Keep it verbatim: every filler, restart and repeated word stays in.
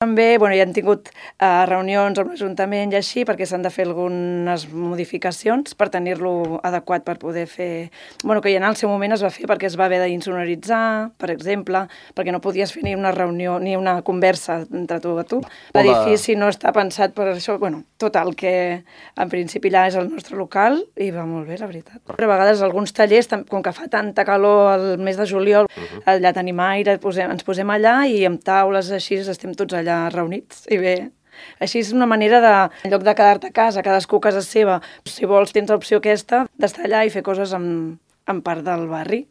També bueno, ja han tingut uh, reunions amb l'Ajuntament i així perquè s'han de fer algunes modificacions per tenir-lo adequat per poder fer... Bueno, que ja en el seu moment es va fer perquè es va haver d'insonoritzar, per exemple, perquè no podies fer ni una reunió ni una conversa entre tu a tu. L'edifici no està pensat per això. Bueno, total, que en principi allà és el nostre local i va molt bé, la veritat. Però a vegades alguns tallers, com que fa tanta calor al mes de juliol, uh-huh. allà tenim aire, posem, ens posem allà i amb taules així estem tots allà reunits i bé. Així és una manera de, en lloc de quedar-te a casa, cadascú a casa seva, si vols tens l'opció aquesta d'estar allà i fer coses amb, amb part del barri.